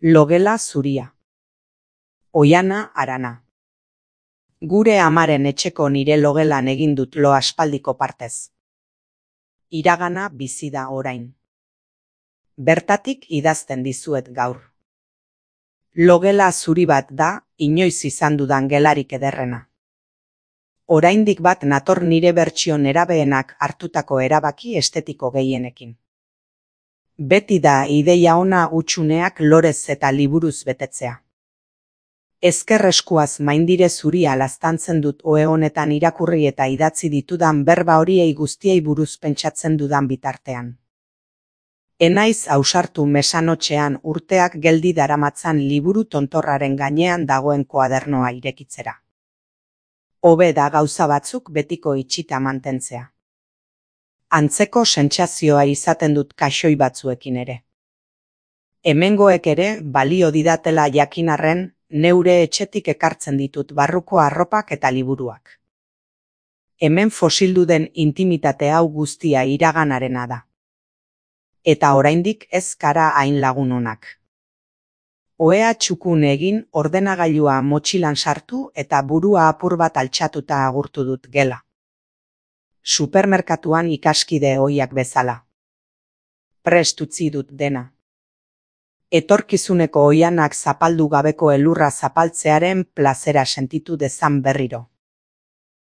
Logela zuria. Oiana Arana. Gure amaren etxeko nire logelan egin dut lo aspaldiko partez. Iragana bizi da orain. Bertatik idazten dizuet gaur. Logela zuri bat da, inoiz izan dudan gelarik ederrena. Oraindik bat nator nire bertsio nerabeenak hartutako erabaki estetiko gehienekin. Beti da ideia ona hutsuneak lorez eta liburuz betetzea. Ezker eskuaz maindire zuria laztantzen dut ohe honetan irakurri eta idatzi ditudan berba horiei guztiei buruz pentsatzen dudan bitartean. Enaiz ausartu mesanotxean urteak geldi daramatzan liburu tontorraren gainean dagoen koadernoa irekitzera. Hobe da gauza batzuk betiko itxita mantentzea. Antzeko sentsazioa izaten dut kaxoi batzuekin ere. Hemengoek ere balio didatela jakin arren, neure etxetik ekartzen ditut barruko arropak eta liburuak. Hemen fosildu den intimitate hau guztia iraganarena da. Eta oraindik ez kara hain lagun onak. Ohea txukun egin, ordenagailua motxilan sartu eta burua apur bat altxatuta agurtu dut gela. Supermerkatuan ikaskide ohiak bezala. Prest utzi dut dena. Etorkizuneko oianak zapaldu gabeko elurra zapaltzearen plazera sentitu dezan berriro.